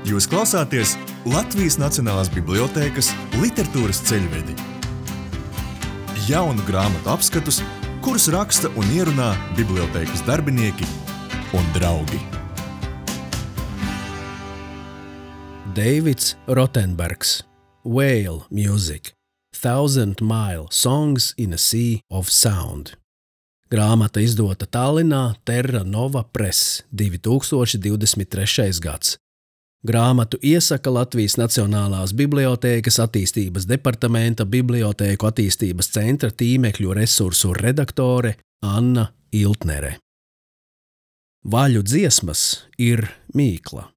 Jūs klausāties Latvijas Nacionālās bibliotēkas literatūras ceļvedi. Jaunu grāmatu apskatus, kurus raksta un ierunā bibliotēkas darbinieki un draugi. Deivids Rotenbergs, Whale Music, 1000 Mile Songs in a Sea of Sound. Grāmata izdota Tallinā Terra Nova Press, 2023. gads. Grāmatu iesaka Latvijas Nacionālās bibliotēkas attīstības departamenta Bibliotēku attīstības centra tīmekļu resursu redaktore Anna Iltnere. Vaļu dziesmas ir mīkla.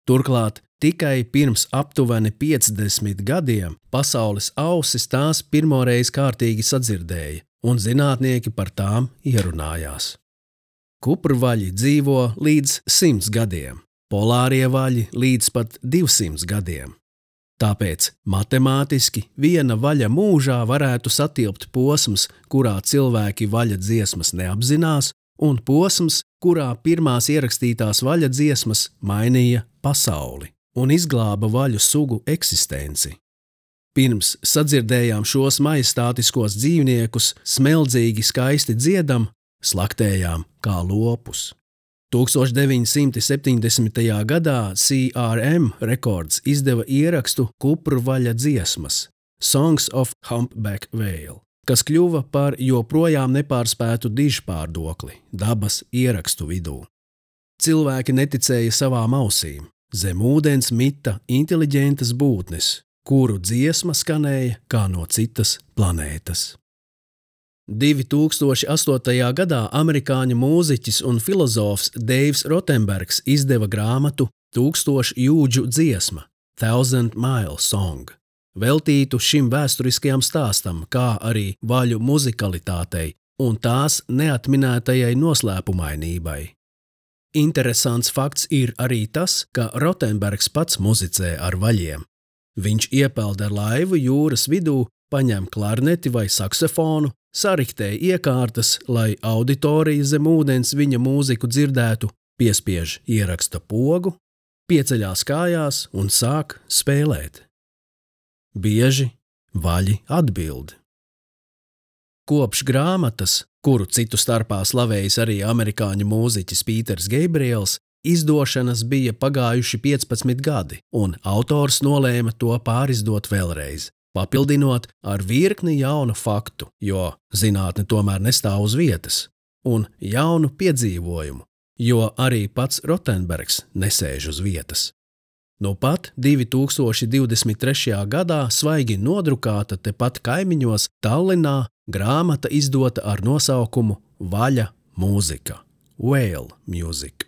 Turklāt tikai pirms aptuveni 50 gadiem pasaules ausis tās pirmoreiz kārtīgi sadzirdēja, un zinātnieki par tām ierunājās. Kuprvaļi dzīvo līdz 100 gadiem, polārie vaļi līdz pat 200 gadiem. Tāpēc matemātiski viena vaļa mūžā varētu satilpt posms, kurā cilvēki vaļa dziesmas neapzinās, un posms, kurā pirmās ierakstītās vaļa dziesmas mainīja pasauli un izglāba vaļu sugu eksistenci. Pirms sadzirdējām šos majestātiskos dzīvniekus smeldzīgi skaisti dziedam, slaktējām kā lopus. 1970. gadā CRM Records izdeva ierakstu Kuprvaļa dziesmas Songs of Humpback Whale, kas kļuva par joprojām nepārspētu dižpārdokli dabas ierakstu vidū. Cilvēki neticēja savām ausīm. Zem ūdens mita inteliģentas būtnes, kuru dziesma skanēja kā no citas planētas. 2008. gadā amerikāņu mūziķis un filozofs Deivs Rotenbergs izdeva grāmatu 1000 jūdžu dziesma, 1000 Mile Song, veltītu šim vēsturiskajam stāstam, kā arī vaļu muzikalitātei un tās neatminētajai noslēpumainībai. Interesants fakts ir arī tas, ka Rotenbergs pats muzicē ar vaļiem. Viņš iepeld ar laivu jūras vidū, paņem klarneti vai saksofonu, sariktē iekārtas, lai auditorija zem ūdens viņa mūziku dzirdētu, piespiež ieraksta pogu, pieceļās kājās un sāk spēlēt. Bieži vaļi atbild. Kopš grāmatas, kuru citu starpā slavējis arī amerikāņu mūziķis Pīters Geibriels, izdošanas bija pagājuši 15 gadi, un autors nolēma to pārizdot vēlreiz, papildinot ar virkni jaunu faktu, jo zinātne tomēr nestāv uz vietas, un jaunu piedzīvojumu, jo arī pats Rotenbergs nesēž uz vietas. Nu pat 2023. gadā svaigi nodrukāta tepat kaimiņos Tallinā grāmata izdota ar nosaukumu Vaļa mūzika, Whale Music.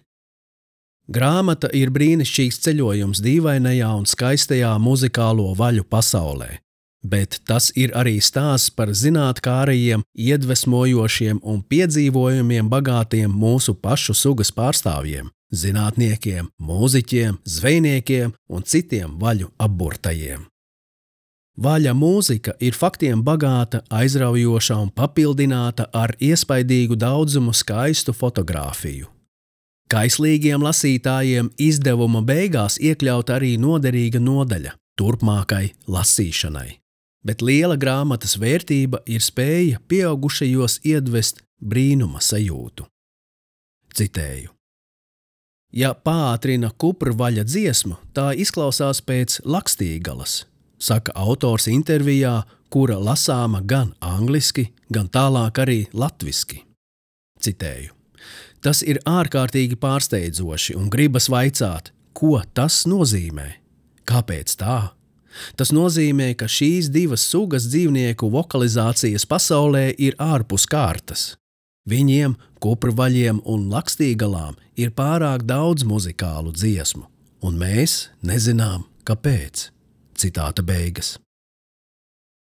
Grāmata ir brīnišķīgs ceļojums dīvainajā un skaistajā muzikālo vaļu pasaulē, bet tas ir arī stāsts par zinātkārajiem, iedvesmojošiem un piedzīvojumiem bagātiem mūsu pašu sugas pārstāvjiem, zinātniekiem, mūziķiem, zvejniekiem un citiem vaļu apburtajiem. Vaļa mūzika ir faktiem bagāta, aizraujoša un papildināta ar iespaidīgu daudzumu skaistu fotogrāfiju. Kaislīgiem lasītājiem izdevuma beigās iekļaut arī noderīga nodaļa turpmākai lasīšanai. Bet liela grāmatas vērtība ir spēja pieaugušajos iedvest brīnuma sajūtu. Citēju. Ja paātrina kuprvaļa dziesmu, tā izklausās pēc Lakstīgalas, saka autors intervijā, kura lasāma gan angliski, gan tālāk arī latviski. Citēju. Tas ir ārkārtīgi pārsteidzoši un gribas vaicāt, ko tas nozīmē? Kāpēc tā? Tas nozīmē, ka šīs divas sugas dzīvnieku vokalizācijas pasaulē ir ārpus kārtas. Viņiem, kuprvaļiem un lakstīgalām, ir pārāk daudz muzikālu dziesmu, un mēs nezinām, kāpēc. Citāta beigas.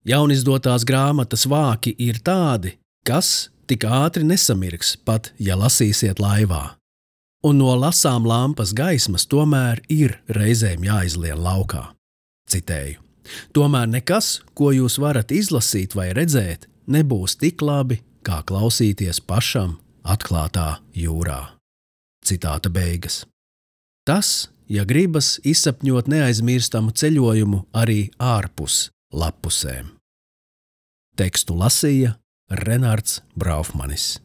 Jaunizdotās grāmatas vāki ir tādi, kas tik ātri nesamirks, pat ja lasīsiet laivā. Un no lasām lampas gaismas tomēr ir reizēm jāizlien laukā. Citēju. Tomēr nekas, ko jūs varat izlasīt vai redzēt, nebūs tik labi, kā klausīties pašam atklātā jūrā. Citāta beigas. Tas, ja gribas izsapņot neaizmirstamu ceļojumu arī ārpus lappusēm. Tekstu lasīja Renārds Braufmanis.